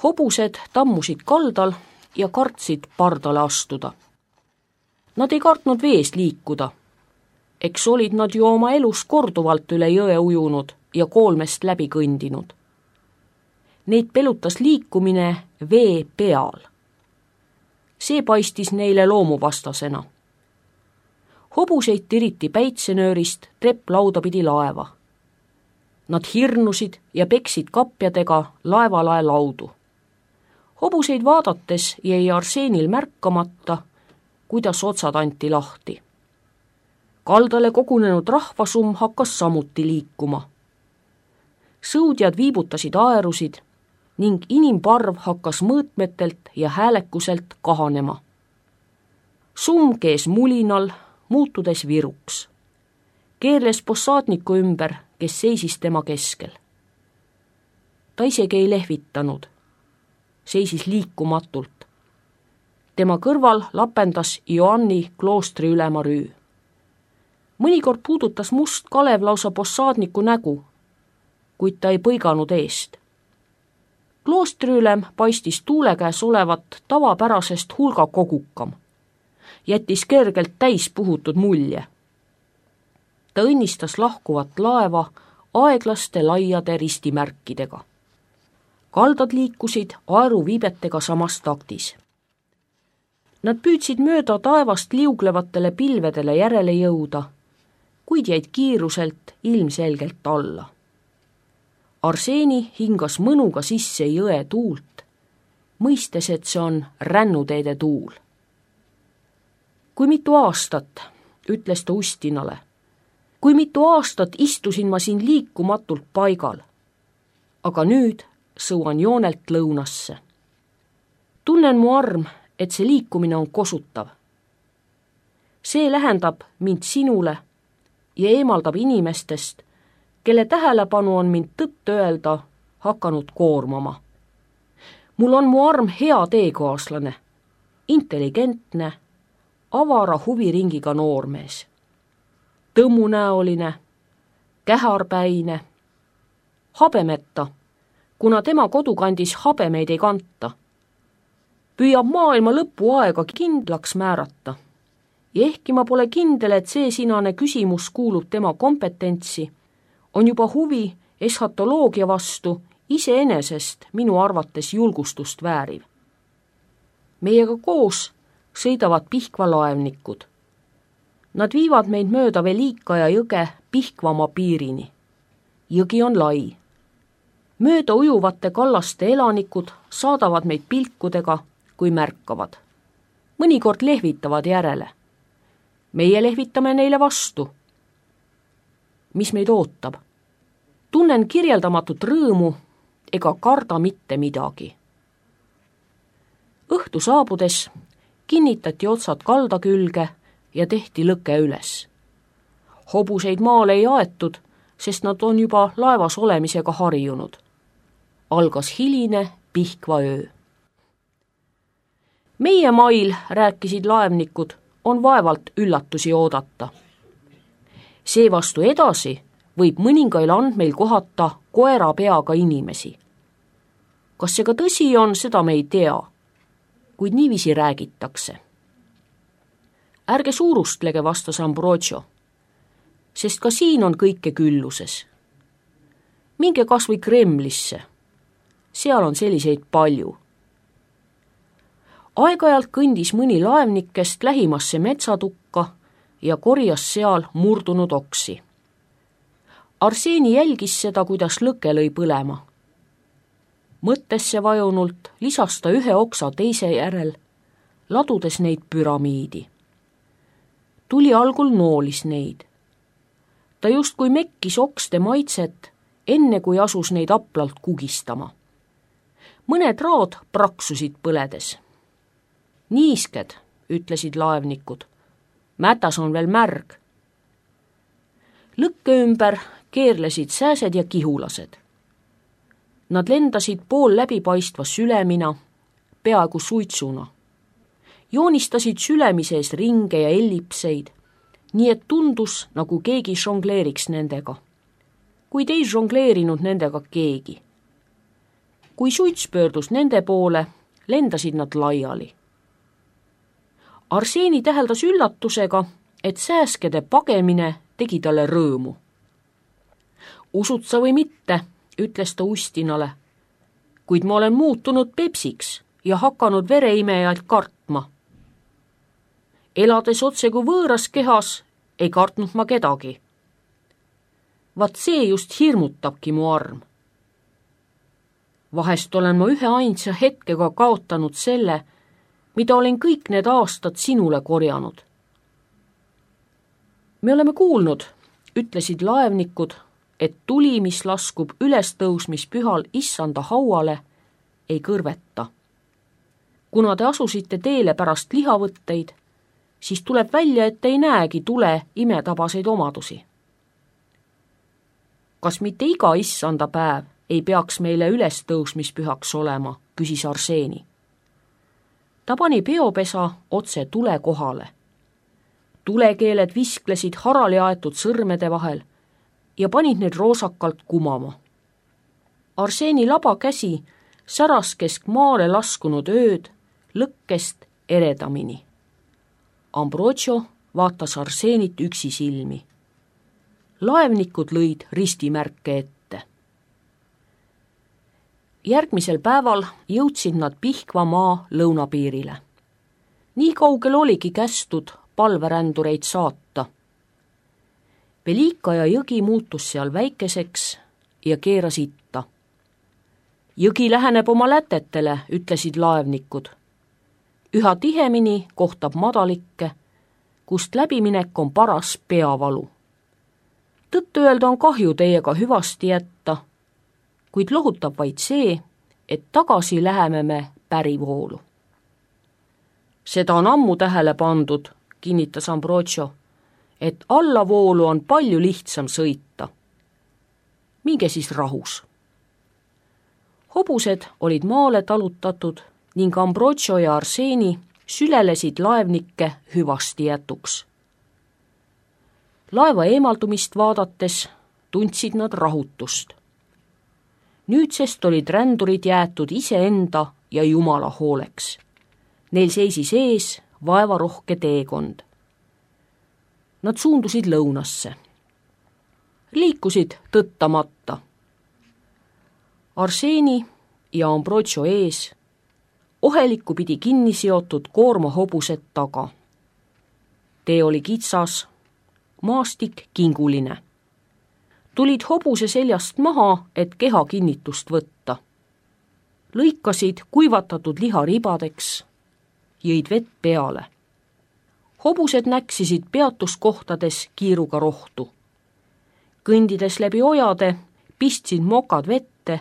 Hobused tammusid kaldal ja kartsid pardale astuda. Nad ei kartnud vees liikuda. Eks olid nad ju oma elus korduvalt üle jõe ujunud ja koolmest läbi kõndinud. Neid pelutas liikumine vee peal. See paistis neile loomuvastasena. Hobuseid tiriti päitsenöörist trepplauda pidi laeva. Nad hirnusid ja peksid kapjadega laevalae laudu. Hobuseid vaadates jäi Arseenil märkamata, kuidas otsad anti lahti. Kaldale kogunenud rahvasum hakkas samuti liikuma. Sõudjad viibutasid aerusid ning inimparv hakkas mõõtmetelt ja häälekuselt kahanema. Summ kees mulinal, muutudes viruks. Keerles possaadniku ümber, kes seisis tema keskel. Ta isegi ei lehvitanud. Seisis liikumatult. Tema kõrval lapendas Joanni kloostri ülema Rüü. Mõnikord puudutas must Kalev lausa possaadniku nägu, kuid ta ei põiganud eest. Kloostriülem paistis tuule käes olevat tavapärasest hulga kogukam. Jättis kergelt täis puhutud mulje. Ta õnnistas lahkuvat laeva aeglaste laiade ristimärkidega. Kaldad liikusid aeruviibetega samas taktis. Nad püüdsid mööda taevast liuglevatele pilvedele järele jõuda, kuid jäid kiiruselt ilmselgelt alla. Arseeni hingas mõnuga sisse jõe tuult, mõistes, et see on rännuteede tuul. Kui mitu aastat, ütles ta Ustinale, kui mitu aastat istusin ma siin liikumatult paigal, aga nüüd sõuan joonelt lõunasse. Tunnen mu arm, et see liikumine on kosutav. See lähendab mind sinule ja eemaldab inimestest, kelle tähelepanu on mind tõtt öelda hakanud koormama. Mul on mu arm hea teekaaslane, intelligentne, avara huviringiga noormees. Tõmmunäoline, käharpäine, habemeta, kuna tema kodukandis habemeid ei kanta. Püüab maailma lõpu aega kindlaks määrata. Ja ehkki ma pole kindel, et see sinane küsimus kuulub tema kompetentsi, on juba huvi eschatoloogia vastu iseenesest minu arvates julgustust vääriv. Meiega koos sõidavad Pihkva laevnikud. Nad viivad meid mööda Velika ja jõge Pihkvamaa piirini. Jõgi on lai. Mööda ujuvate kallaste elanikud saadavad meid pilkudega, kui märkavad. Mõnikord lehvitavad järele. Meie lehvitame neile vastu. Mis meid ootab? Tunnen kirjeldamatut rõõmu ega karda mitte midagi. Õhtu saabudes kinnitati otsad kalda külge ja tehti lõke üles. Hobuseid maale ei aetud, sest nad on juba laevas olemisega harjunud. Algas hiline Pihkva öö. Meie mail, rääkisid laevnikud, on vaevalt üllatusi oodata. Seevastu edasi võib mõningail andmeil kohata koera peaga inimesi. Kas see ka tõsi on, seda me ei tea, kuid niiviisi räägitakse. Ärge suurustlege, vastas Ambrogio, sest ka siin on kõike külluses. Minge kas või Kremlisse, seal on selliseid palju. Aeg-ajalt kõndis mõni laevnikest lähimasse metsatukka ja korjas seal murdunud oksi. Arseeni jälgis seda, kuidas lõke lõi põlema. Mõttesse vajunult lisas ta ühe oksa teise järel, ladudes neid püramiidi. Tuli algul noolis neid. Ta justkui mekkis okste maitset, enne kui asus neid aplalt kugistama. Mõned raad praksusid põledes. Niisked, ütlesid laevnikud. Mätas on veel märg. Lõkke ümber keerlesid sääsed ja kihulased. Nad lendasid pool läbipaistva sülemina, peaaegu suitsuna. Joonistasid sülemi sees ringe ja ellipseid, nii et tundus, nagu keegi žongleeriks nendega. Kuid ei žongleerinud nendega keegi. kui suits pöördus nende poole, lendasid nad laiali. Arseeni täheldas üllatusega, et sääskede pagemine tegi talle rõõmu. Usud sa või mitte, ütles ta Ustinale, kuid ma olen muutunud Pepsiks ja hakanud vereimejaid kartma. Elades otse kui võõras kehas, ei kartnud ma kedagi. Vaat see just hirmutabki mu arm. Vahest olen ma ühe ainsa hetkega kaotanud selle, mida olen kõik need aastad sinule korjanud. Me oleme kuulnud, ütlesid laevnikud, et tuli, mis laskub ülestõusmispühal issanda hauale, ei kõrveta. Kuna te asusite teele pärast lihavõtteid, siis tuleb välja, et ei näegi tule imetabaseid omadusi. Kas mitte iga issanda päev ei peaks meile ülestõusmispühaks olema, küsis Arseeni. Ta pani peopesa otse tule kohale. Tulekeeled visklesid harali aetud sõrmede vahel ja panid need roosakalt kumama. Arseeni laba käsi säras kesk maale laskunud ööd lõkkest eredamini. Ambrogio vaatas Arseenit üksi silmi. Laevnikud lõid ristimärke ette. Järgmisel päeval jõudsid nad Pihkva maa lõunapiirile. Nii kaugel oligi kästud palverändureid saata. Velika ja jõgi muutus seal väikeseks ja keeras itta. Jõgi läheneb oma lätetele, ütlesid laevnikud. Üha tihemini kohtab madalikke, kust läbiminek on paras peavalu. Tõtt öelda on kahju teiega hüvasti jätta, kuid lohutab vaid see, et tagasi läheme me pärivoolu. Seda on ammu tähele pandud, kinnitas Ambrogio, et allavoolu on palju lihtsam sõita. Minge siis rahus. Hobused olid maale talutatud ning Ambrogio ja Arseeni sülelesid laevnikke hüvasti jätuks. Laeva eemaldumist vaadates tundsid nad rahutust. Nüüdsest olid rändurid jäetud iseenda ja Jumala hooleks. Neil seisis ees vaevarohke teekond. Nad suundusid lõunasse. Liikusid tõttamata. Arseeni ja Ambrogio ees, ohelikku pidi kinni seotud koormahobused taga. Tee oli kitsas, maastik kinguline. Tulid hobuse seljast maha, et keha kinnitust võtta. Lõikasid kuivatatud liha ribadeks, jõid vett peale. Hobused näksisid peatuskohtades kiiruga rohtu. Kõndides läbi ojade pistsid mokad vette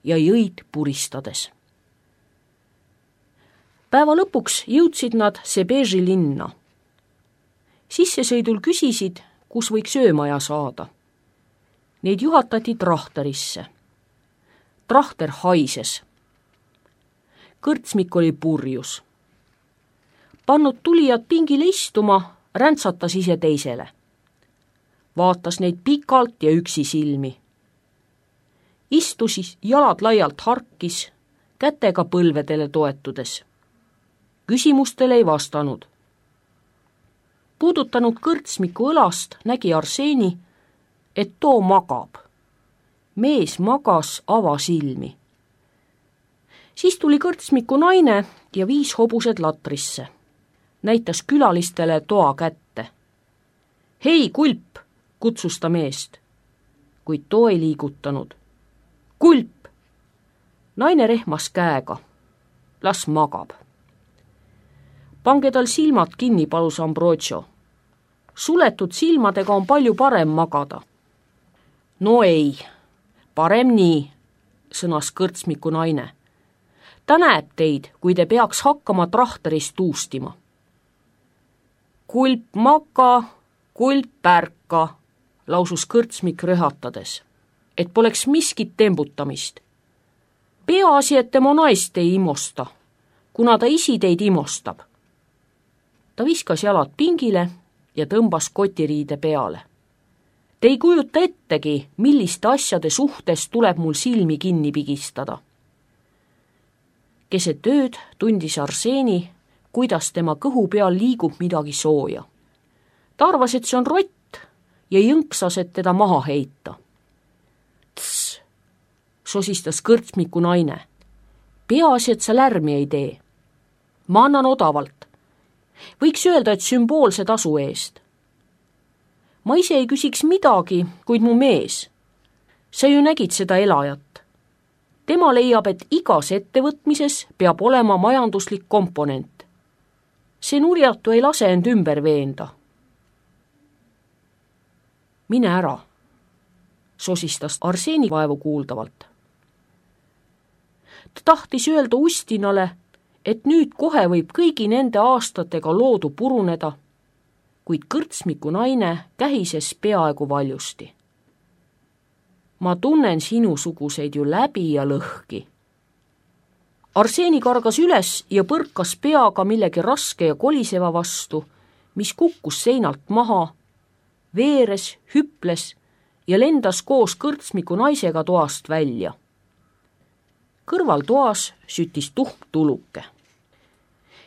ja jõid puristades. Päeva lõpuks jõudsid nad Sebeži linna. Sissesõidul küsisid, kus võiks öömaja saada. Neid juhatati trahterisse. Trahter haises. Kõrtsmik oli purjus. Pannud tulijad pingile istuma, räntsatas ise teisele. Vaatas neid pikalt ja üksi silmi. Istusis jalad laialt harkis, kätega põlvedele toetudes. Küsimustele ei vastanud. Puudutanud kõrtsmiku õlast nägi Arseeni, et too magab. Mees magas avasilmi. Siis tuli kõrtsmiku naine ja viis hobused latrisse. Näitas külalistele toa kätte. Hei, Kulp, kutsus ta meest, kuid too ei liigutanud. Kulp! Naine rehmas käega. Las magab. Pange tal silmad kinni, palus Ambrogio. Suletud silmadega on palju parem magada. No ei, parem nii, sõnas kõrtsmiku naine. Ta näeb teid, kui te peaks hakkama trahterist tuustima. Kulp maka, kulp ärka, lausus kõrtsmik röhatades, et poleks miskit tembutamist. Peaasi, et tema naist ei imosta, kuna ta isi teid imostab. Ta viskas jalad pingile ja tõmbas kotiriide peale. Te ei kujuta ettegi, milliste asjade suhtes tuleb mul silmi kinni pigistada. Keset ööd tundis Arseni, kuidas tema kõhu peal liigub midagi sooja. Ta arvas, et see on rott ja jõnksas, et teda maha heita. Tss, sosistas kõrtsmiku naine. Peaasi, et sa lärmi ei tee. Ma annan odavalt. Võiks öelda, et sümboolse tasu eest. Ma ise ei küsiks midagi, kuid mu mees. Sa ju nägid seda elajat. Tema leiab, et igas ettevõtmises peab olema majanduslik komponent. See nurjatu ei lase end ümber veenda. Mine ära, sosistas Arseni vaevu kuuldavalt. Ta tahtis öelda Ustinale, et nüüd kohe võib kõigi nende aastatega loodu puruneda, kuid kõrtsmiku naine kähises peaaegu valjusti. Ma tunnen sinusuguseid ju läbi ja lõhki. Arseni kargas üles ja põrkas peaga millegi raske ja koliseva vastu, mis kukkus seinalt maha, veeres, hüples ja lendas koos kõrtsmiku naisega toast välja. Kõrval toas süttis tuhm tuluke.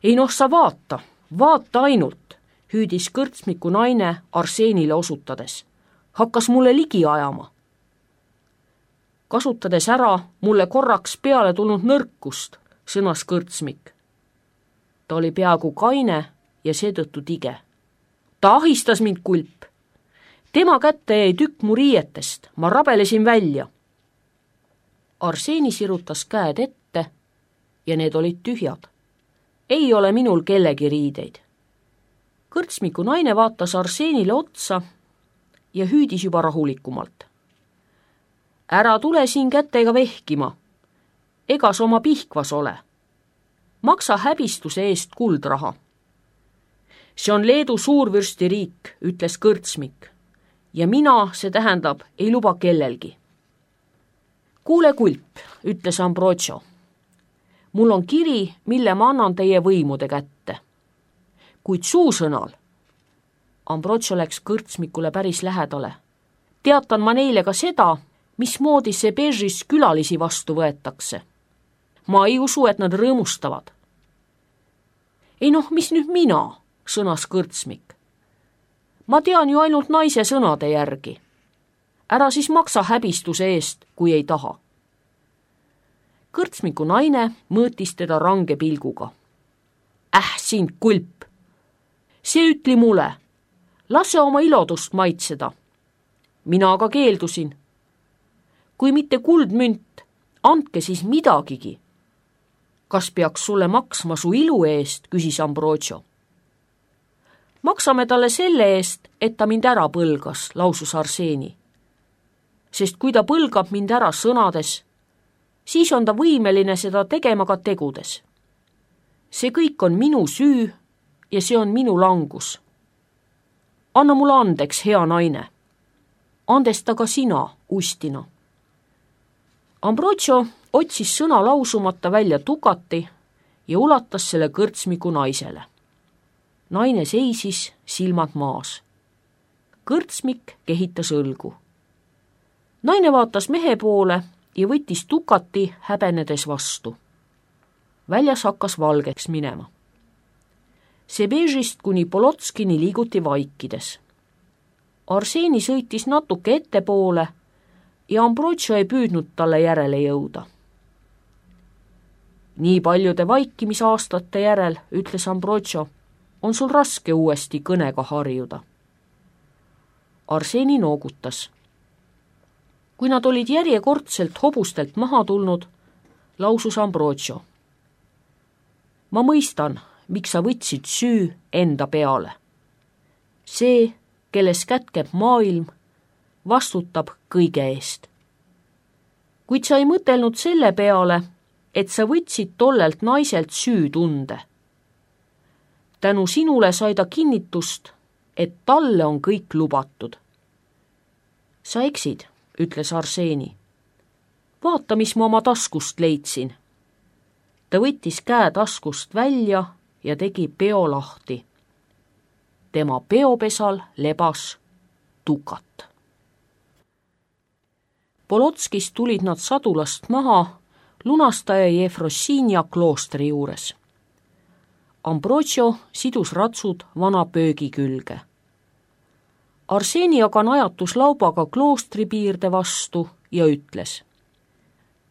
Ei noh, sa vaata ainult, hüüdis kõrtsmiku naine Arsenile osutades. Hakkas mulle ligi ajama. Kasutades ära mulle korraks peale tulnud nõrkust, sõnas kõrtsmik. Ta oli peaaegu kaine ja seetõttu tige. Ta ahistas mind, kulp. Tema kätte jäi tükk mu riietest, ma rabelesin välja. Arseni sirutas käed ette ja need olid tühjad. Ei ole minul kellegi riideid. Kõrtsmiku naine vaatas Arsenile otsa ja hüüdis juba rahulikumalt. Ära tule siin kätega vehkima, ega sa oma pihkvas ole. Maksa häbistuse eest kuldraha. See on Leedu suurvürsti riik, ütles kõrtsmik, ja mina, see tähendab, ei luba kellelgi. Kuule, kulp, ütles Ambrogio. Mul on kiri, mille ma annan teie võimude kätte. Kuid suusõnal. Ambrogio läks kõrtsmikule päris lähedale. Teatan ma neile ka seda, mismoodi see Bežis külalisi vastu võetakse. Ma ei usu, et nad rõõmustavad. Ei noh, mis nüüd mina, sõnas kõrtsmik. Ma tean ju ainult naise sõnade järgi. Ära siis maksa häbistuse eest, kui ei taha. Kõrtsmiku naine mõõtis teda range pilguga. Sind, kulp! See ütli mulle, lase oma ilodust maitseda. Mina aga keeldusin. Kui mitte kuldmünt, andke siis midagigi. Kas peaks sulle maksma su ilu eest, küsis Ambrogio. Maksame talle selle eest, et ta mind ära põlgas, lausus Arseni. Sest kui ta põlgab mind ära sõnades, siis on ta võimeline seda tegema ka tegudes. See kõik on minu süü ja see on minu langus. Anna mulle andeks, hea naine. Andesta ka sina, Ustina. Ambrogio otsis sõna lausumata välja tukati ja ulatas selle kõrtsmiku naisele. Naine seisis, silmad maas. Kõrtsmik kehitas õlgu. Naine vaatas mehe poole ja võttis tukati häbenedes vastu. Väljas hakkas valgeks minema. Sebežist kuni Polotskini liiguti vaikides. Arseni sõitis natuke ettepoole ja Ambrogio ei püüdnud talle järele jõuda. Nii paljude vaikimisaastate järel, ütles Ambrogio, on sul raske uuesti kõnega harjuda. Arseni noogutas. Kui nad olid järjekordselt hobustelt maha tulnud, lausus Ambrogio. Ma mõistan, miks sa võtsid süü enda peale. See, kelles kätkeb maailm, vastutab kõige eest. Kuid sa ei mõtelnud selle peale, et sa võtsid tollelt naiselt süütunde. Tänu sinule sai ta kinnitust, et talle on kõik lubatud. Sa eksid, ütles Arseni. Vaata, mis ma oma taskust leidsin. Ta võttis käe taskust välja ja tegi peo lahti. Tema peopesal lebas tukat. Polotskist tulid nad sadulast maha lunastaja Jefrossinia kloostri juures. Ambrosio sidus ratsud vana pöögi külge. Arseni aga najatus laubaga kloostri piirde vastu ja ütles: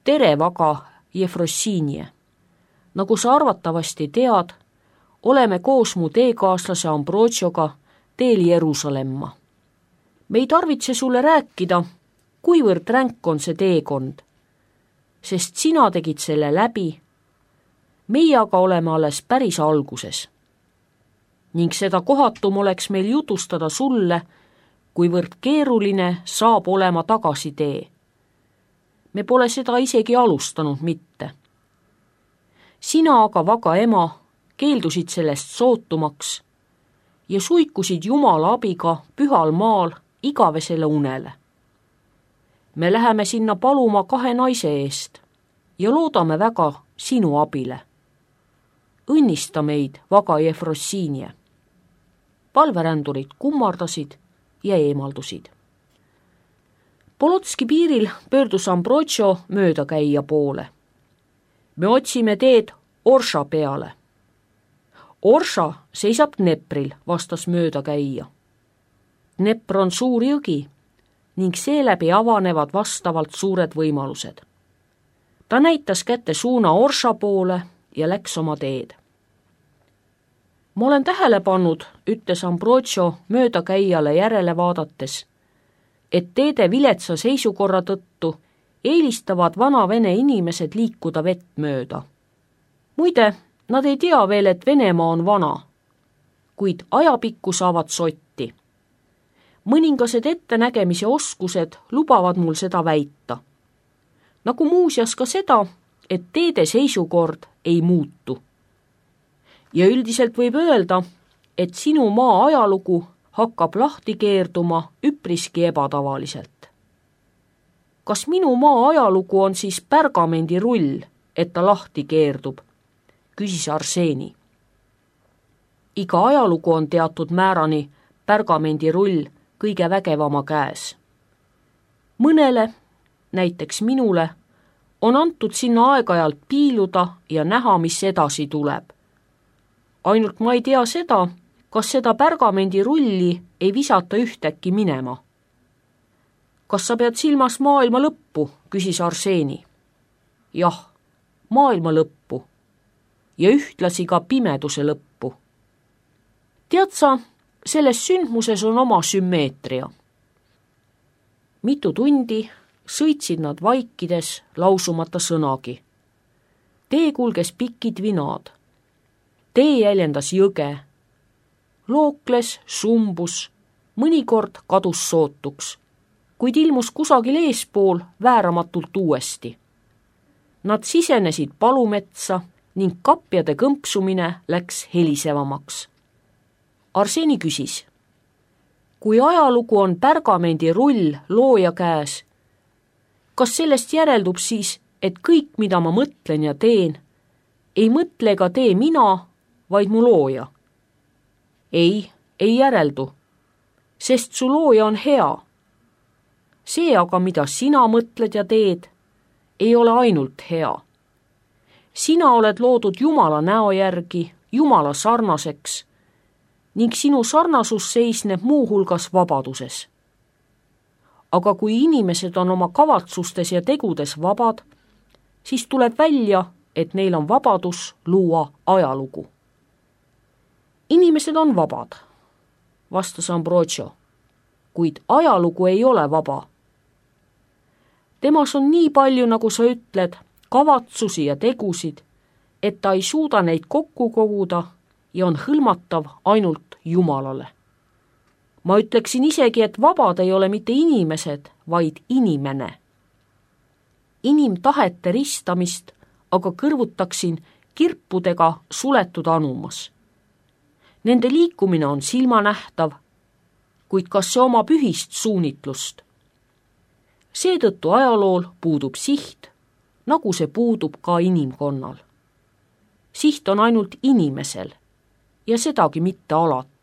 tere, vaga Jefrossinie! Nagu sa arvatavasti tead, oleme koos mu teekaaslase Ambrosioga teel Jeruusalemma. Me ei tarvitse sulle rääkida, kuivõrd ränk on see teekond, sest sina tegid selle läbi, meie aga oleme alles päris alguses. Ning seda kohatum oleks meil jutustada sulle, kuivõrd keeruline saab olema tagasitee. Me pole seda isegi alustanud mitte. Sina aga, vaga ema, keeldusid sellest sootumaks ja suikusid Jumala abiga pühal maal igavesele unele. Me läheme sinna paluma 2 naise eest ja loodame väga sinu abile. Õnnista meid, vaga Jefrossinie. Palverändurid kummardasid ja eemaldusid. Polotski piiril pöördus Ambrosio möödakäija poole. Me otsime teed Orša peale. Orša seisab Dnepril, vastas möödakäija. Dnepr on suur jõgi ning seeläbi avanevad vastavalt suured võimalused. Ta näitas kätte suuna Orša poole ja läks oma teed. Ma olen tähele pannud, ütles Ambrosio möödakäijale järele vaadates, et teede viletsa seisukorra tõttu eelistavad vana-vene inimesed liikuda vett mööda. Muide, nad ei tea veel, et Venemaa on vana, kuid ajapikku saavad sotti. Mõningased ettenägemise oskused lubavad mul seda väita. Nagu muuseas ka seda, et teede seisukord ei muutu. Ja üldiselt võib öelda, et sinu maa ajalugu hakkab lahti keerduma üpriski ebatavaliselt. Kas minu maa ajalugu on siis pärgamendirull, et ta lahti keerdub? Küsis Arseni. Iga ajalugu on teatud määrani pärgamendirull kõige vägevama käes. Mõnele, näiteks minule, on antud sinna aeg-ajalt piiluda ja näha, mis edasi tuleb. Ainult ma ei tea seda, kas seda pärgamendirulli ei visata ühtäkki minema. Kas sa pead silmas maailma lõppu, küsis Arseni. Jah, maailma lõppu ja ühtlasi ka pimeduse lõppu. Tead sa, selles sündmuses on oma sümmeetria. Mitu tundi sõitsid nad vaikides lausumata sõnagi. Tee kulges pikid vinaad. Tee jäljendas jõge. Lookles, sumbus, mõnikord kadus sootuks, kuid ilmus kusagil eespool vääramatult uuesti. Nad sisenesid palumetsa ning kapjade kõmpsumine läks helisevamaks. Arseni küsis, kui ajalugu on pärgamendirull looja käes, kas sellest järeldub siis, et kõik, mida ma mõtlen ja teen, ei mõtle ega tee mina, vaid mu looja? Ei järeldu, sest su looja on hea. See aga, mida sina mõtled ja teed, ei ole ainult hea. Sina oled loodud Jumala näo järgi, Jumala sarnaseks, ning sinu sarnasus seisneb muu hulgas vabaduses. Aga kui inimesed on oma kavatsustes ja tegudes vabad, siis tuleb välja, et neil on vabadus luua ajalugu. Inimesed on vabad, vastas Ambrosio, kuid ajalugu ei ole vaba. Temas on nii palju, nagu sa ütled, kavatsusi ja tegusid, et ta ei suuda neid kokku koguda ja on hõlmatav ainult Jumalale. Ma ütleksin isegi, et vabad ei ole mitte inimesed, vaid inimene. Inimtahete ristamist aga kõrvutaksin kirpudega suletud anumas. Nende liikumine on silmanähtav, kuid kas see oma pühist suunitlust? Seetõttu ajalool puudub siht, nagu see puudub ka inimkonnal. Siht on ainult inimesel ja sedagi mitte alati.